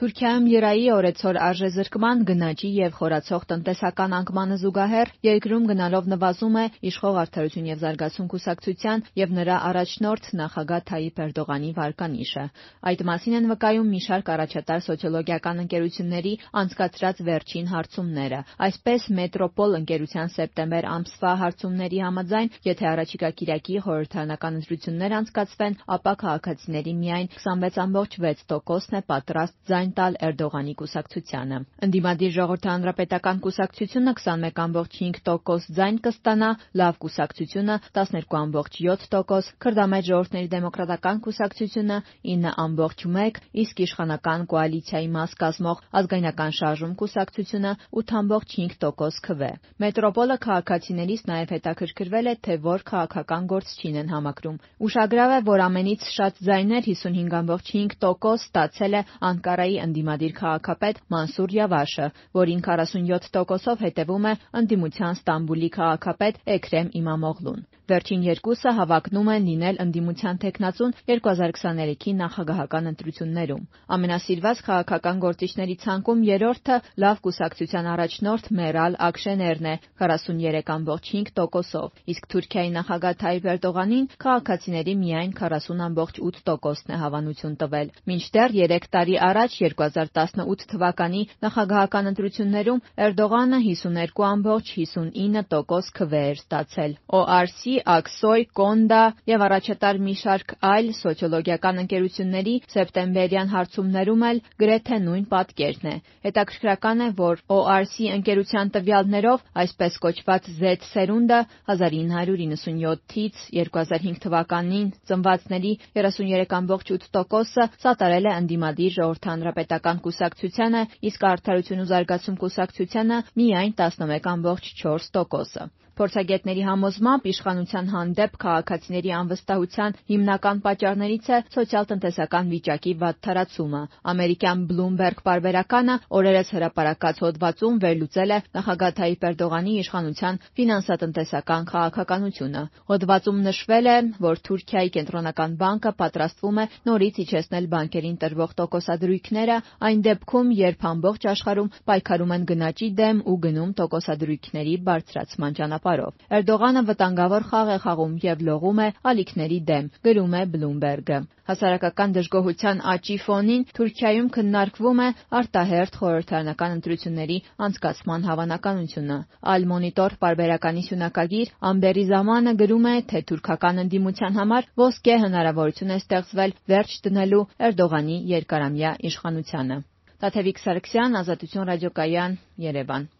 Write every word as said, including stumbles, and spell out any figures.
Թուրքիայում եռայի օրեցօր արժեզրկման, գնաճի և խորացող տնտեսական անկմանը զուգահեռ երկրում գնալով նվազում է Իշխող Արդարություն և զարգացում կուսակցության և նրա առաջնորդ նախագահ Թայիփ Էրդողանի վարկանիշը։ Այդ մասին են վկայում մի շարք առաջատար սոցիոլոգիական ընկերությունների անցկացրած վերջին հարցումները։ Այսպես, Մետրոպոլ ընկերության սեպտեմբեր ամսվա հարցումների համաձայն, եթե առաջիկա կիրակի խորհրդարանական ընտրություններ անցկացվեն, ապա քաղաքացիների միայն քսանվեց կόμμα վեց տոկոսն է պատրաստ ձայն տալ Էրդողանի կուսակցությանը։ Ընդդիմադիր Ժողովրդի հանրապետական կուսակցությունը քսանմեկ կόμма հինգ տոկոս ձայն կստանա, Լավ կուսակցությունը տասներկու կόμμα յոթ տոկոս, Քրդամետ ժողովուրդների դեմոկրատական կուսակցությունը ինը կόμма մեկ, իսկ իշխանական կոալիցիայի մաս կազմող Ազգայնական շարժում կուսակցությունը ութ կόμма հինգ տոկոս քվ է։ Մետրոպոլը քաղաքացիներից նաև հետաքրքրվել է, թե որ քաղաքական գործչին են համակրում։ Ուշագրավ է, որ ամենից շատ ձայներ հիսունհինգ կόμма հինգ տոկոս ստացել է Անկարայի ընդդիմադիր քաղաքապետ Մանսուր Յավաշը, որին քառասունյոթ տոկոսով հետևում է ընդդիմության Ստամբուլի քաղաքապետ Էքրեմ Իմամօղլուն։ Վերջին երկուսը հավակնում են լինել ընդդիմության թեկնածուն երկու հազար քսաներեքի նախագահական ընտրություններում։ Ամենասիրված քաղաքական գործիչների ցանկում երրորդը Լավ կուսակցության առաջնորդ Մերալ Աքշեներն է քառասուներեք կόμма հինգ տոկոսով, իսկ Թուրքիայի նախագահ Թայիփ Էրդողանին քաղաքացիների միայն քառասուն կόμма ութ տոկոսն է հավանություն տվել։ Մինչդեռ երեք տարի առաջ երկու հազար տասնութ թվականի նախագահական ընտրություններում Էրդողանը հիսուներկու կόμма հիսունինը տոկոս քվ էր ստացել։ օ ար սի, Աքսոյ, Կոնդա և առաջատար մի շարք այլ սոցիոլոգիական ընկերությունների սեպտեմբերյան հարցումներում էլ գրեթե նույն պատկերն է։ Հետաքրքրական է, որ օ ար սի ընկերության տվյալներով այսպես կոչված զեդ սերունդը հազար ինը հարյուր իննսունյոթից երկու հազար հինգ թվականին ծնվածների երեսուներեք կόμма ութ տոկոսը սատարել է ընդդիմադիր Ժողովրդի հանրապետական կուսակցությանը, իսկ Արդարություն ու զարգացում կուսակցությանը միայն տասնմեկ կόμма չորս տոկոսը։ Փորձագետների համոզմամբ իշխանության հանդեպ քաղաքացիների անվստահության հիմնական պատճառներից է սոցիալ-տնտեսական վիճակի վատթարացումը։ Ամերիկյան Bloomberg պարբերականը օրերս հրապարակած հոդվածում վերլուծել է նախագահ Թայիփ Էրդողանի իշխանության ֆինանսատնտեսական քաղաքականությունը։ Հոդվածում նշվել է, որ Թուրքիայի կենտրոնական բանկը պատրաստվում է նորից իջեցնել բանկերին տրվող տոկոսադրույքները այն դեպքում, երբ ամբողջ աշխարհում պայքարում են գնաճի դեմ ու գնում տոկոսադրույքների բարձրացման ճանապարհով։ Էրդողանը վտանգավոր խաղ է խաղում և լողում է ալիքների դեմ, գրում է Bloomberg-ը։ Հասարակական դժգոհության աճի ֆոնին Թուրքիայում քննարկվում է արտահերթ խորհրդարանական ընտրությունների անցկացման հավանականությունը։ Al-Monitor պարբերականի սյունակագիր Ամբերի Զամանը գրում է, թե թուրքական ընդդիմության համար ոսկե հնարավորություն է ստեղծվել վերջ դնելու Էրդողանի երկարամյա իշխանությանը։ Տաթևիկ Սարգսյան, Ազատություն ռադիոկայան, Երևան։